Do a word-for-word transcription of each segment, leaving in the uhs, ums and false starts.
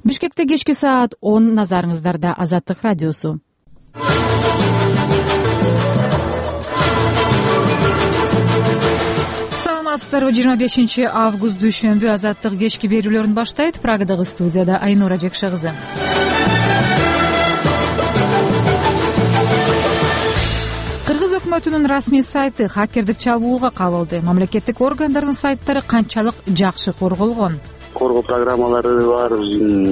Бишкекте кечки саат он, назарыңыздарда Азаттык радиосу. Саламатсыздарбы? жыйырма бешинчи август дүйшөмбү Азаттык кечки берүүлөрүн баштайт. Прагадагы студияда Айнура Жекше кызы. Кыргыз өкмөтүнүн расмий сайты хакердик чабуулга кабылды. Мамлекеттик органдардын сайттары канчалык жакшы корголгон? Коргоо программалары бар,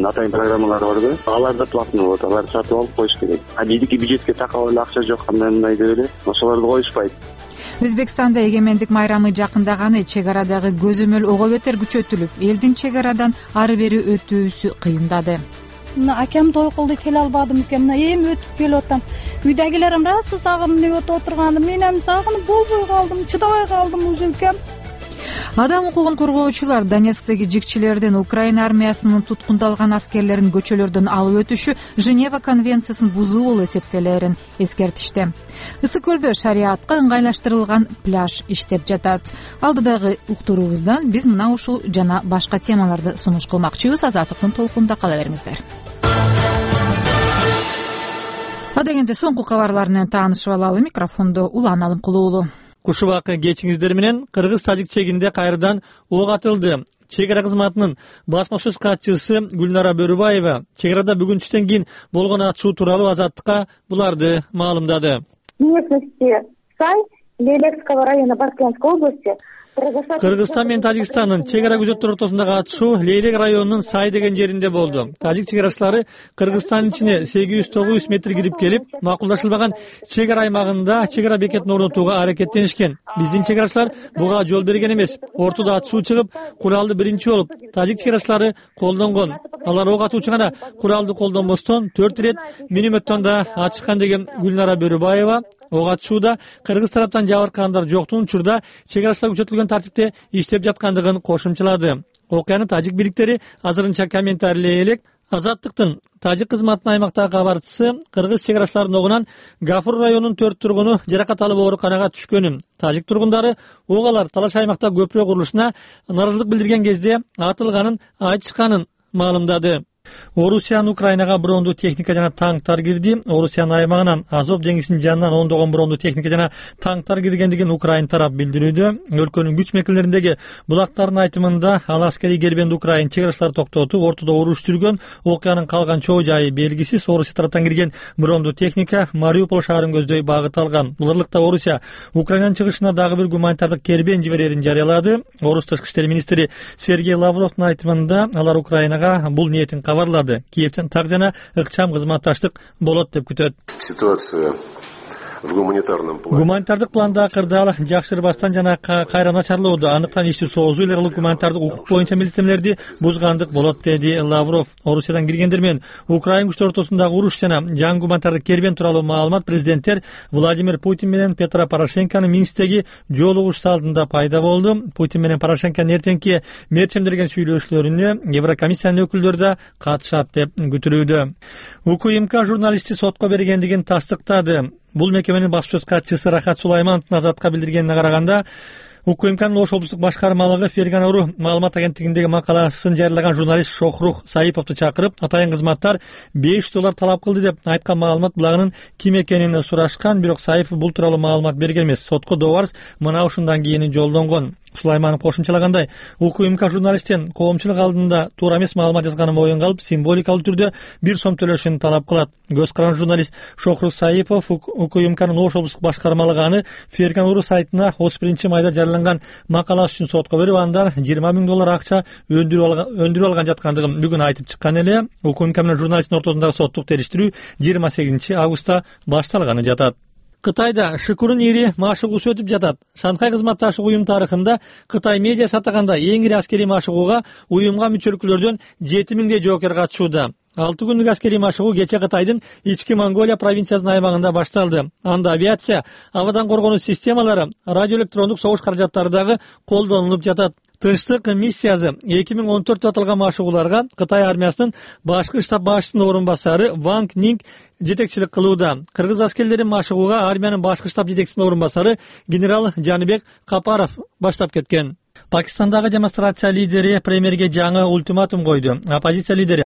атайын программалар бар да. Алар да платный болот, аларды сатып алып коюш керек. А биздики бюджетке такап эле акча жок, кандай мындай деп эле ошолорду коюшпайт. Өзбекстанда эгемендик майрамы жакындаганы, чек арадагы көзөмөл ого бетер күчөтүлүп, элдин чек арадан ары бери өтүүсү кыйындады. Мына акем той кылды, келе албадым экен. Мына эми өтүп келип атам. Үйдөгүлөрүм расы сагынып өтүп отурганды, мен эми сагынып болбой калдым, чыдабай калдым уже экен. Адам укугун коргоочулар Донецктеги жикчилердин Украина армиясынын туткундалган аскерлерин көчөлөрдөн алып өтүшү Женева конвенциясын бузуу болуп эсептелерин эскертишти. Ысык көлдө шариатка ыңгайлаштырылган пляж иштеп жатат. Алдыдагы уктуруубуздан биз мына ушул жана башка темаларды сунуш кылмакчыбыз. Азаттыктын толкунунда кала бериңиздер. Адегенде соңку кабарлар менен таанышып алалы. Микрофондо Улан Алымкулуулу. Куш убакы кечиңиздер менен кыргыз-тажик чегинде кайрадан ок атылды. Чек ара кызматынын басма сөз катчысы Гүлнара Бөрүбаева чек арада бүгүн түштөн кийин болгон атышуу тууралуу Азаттыкка буларды маалымдады. Местности Сай, Лелексского района Баркянской области. Кыргызстан менен Тажикстандын чек ара күзөттөр ортосундагы атышуу Лейлек районунун Сай деген жеринде болду. Тажик чек арачылары Кыргызстандын ичине сегиз жүз тогуз жүз метр кирип келип, макулдашылбаган чек ара аймагында чек ара бекетин орнотууга аракеттенишкен. Биздин чек арачылар буга жол берген эмес. Ортодо атышуу чыгып, куралды биринчи болуп тажик чек арачылары колдонгон. Алар ок атуучу гана куралды колдонбостон төрт ирет минометтон да атышкан деген Гүлнара Бөрүбаева ок атышууда кыргыз тараптан жабыркагандар жоктугун учурда чек арачылар күчөтүлгөн тартипте иштеп жаткандыгын кошумчалады. Окуяны тажик бийликтери азырынча комментарийлей элек. Азаттыктын тажик кызматынын аймактагы кабарчысы кыргыз чек арачыларынын огунан Гафур районунун төрт тургуну жаракат алып ооруканага түшкөнүн, тажик тургундары ок алар талаш аймакта көпүрө курулушуна нааразычылык билдирген кезде атылганын айтышканын маалымдады. Орусиянын Украинага брондуу техника жана танктар кирди. Орусиянын аймагынан Азов деңизинин жанынан ондогон брондуу техника жана танктар киргендигин Украин тарап билдирүүдө. Өлкөнүн күч мекемелериндеги булактардын айтымында ал аскерий кербенди Украин чек арачылары токтотуп, ортодо уруш жүргөн. Окуянын калган чоо жайы белгисиз. Орусия тараптан кирген брондуу техника Мариуполь шаарын көздөй багыт алган. Буларлыкта Орусия Украинанын чыгышына дагы бир гуманитардык кербен жиберерин жарыялады. Орус тышкы иштер министри Сергей Лавровдун айтымында алар Украинага бул ниетин кабарлады. Киевден так жана ыкчам кызматташтык болот деп күтөт. Ситуация в гуманитарном плане. Гуманитардык планда кырдаал жакшырбастан жана кайра начарлоодо, андыктан ишти соозуу эле кылып гуманитардык укук боюнча милдеттенмелерди бузгандык болот, деди Лавров. Орусиядан киргендер менен Украин күчтөр ортосундагы уруш жана жаңы гуманитардык кербен тууралуу маалымат президенттер Владимир Путин менен Петро Порошенконун Минсктеги жолугушуу алдында пайда болду. Путин менен Порошенконун эртеңки мерчемдерген сүйлөшүүлөрүнө Еврокомиссиянын өкүлдөрү да катышат деп күтүлүүдө. УКМК журналисти сотко бергендигин тастыктады. Бул мекеменин баспасөз катчысы Рахат Сулаймановдун Азатка билдиргенине караганда, УКМКнын Ош облустук башкармалыгы Ферган Уру маалымат агенттигиндеги макаласын жарыялаган журналист Шохрух Саиповду чакырып, атайын кызматтар беш жүз доллар талап кылды деп айткан маалымат булагынын ким экенин сурашкан, бирок Саипов бул тууралуу маалымат берген эмес. Сотко добарс мына ушундан кийин жолдонгон. Сулайманов кошумчалагандай, УКМК журналисттен коомчулук алдында туура эмес маалымат жазганын моюнга алып, символикалуу түрдө бир сом төлөшүн талап кылат. Көз каран журналист Шохрух Саипов УКМКнын Ош облустук башкармалыгы аны Ферган Уру сайтына отуз биринчи майда жарыяланган макаласы үчүн сотко берип, андан жыйырма миң доллар акча өндүрүп алган жаткандыгын бүгүн айтып чыккан эле. УКМК менен журналисттин ортосундагы соттук териштирүү жыйырма сегизинчи августта башталганы жатат. Кытайда Шыкурун ири машыгуусу өтүп жатат. Шанхай кызматташтык уюм тарыхында Кытай медиасы атаганда эң ири аскерий машыгууга уюмга мүчөлүктөрдөн жети миңдей жоокер катышууда. алты күндүк аскерий машыгуу кече Кытайдын ички Монголия провинциясынын аймагында башталды. Анда авиация, абадан коргонуу системалары, радиоэлектрондук согуш каражаттары дагы колдонулуп жатат. Тынчтык миссиясы эки миң он төрттө аталган машыгууларга Кытай армиясынын башкы штаб башчысынын орун басары Ванг Нинг жетекчилик кылууда. Кыргыз аскерлери машыгууга армиянын башкы штаб жетекчисинин орун басары генерал Жаныбек Капаров баштап кеткен. Пакистандагы демонстрация лидери премьерге жаңы ультиматум койду. Оппозиция лидери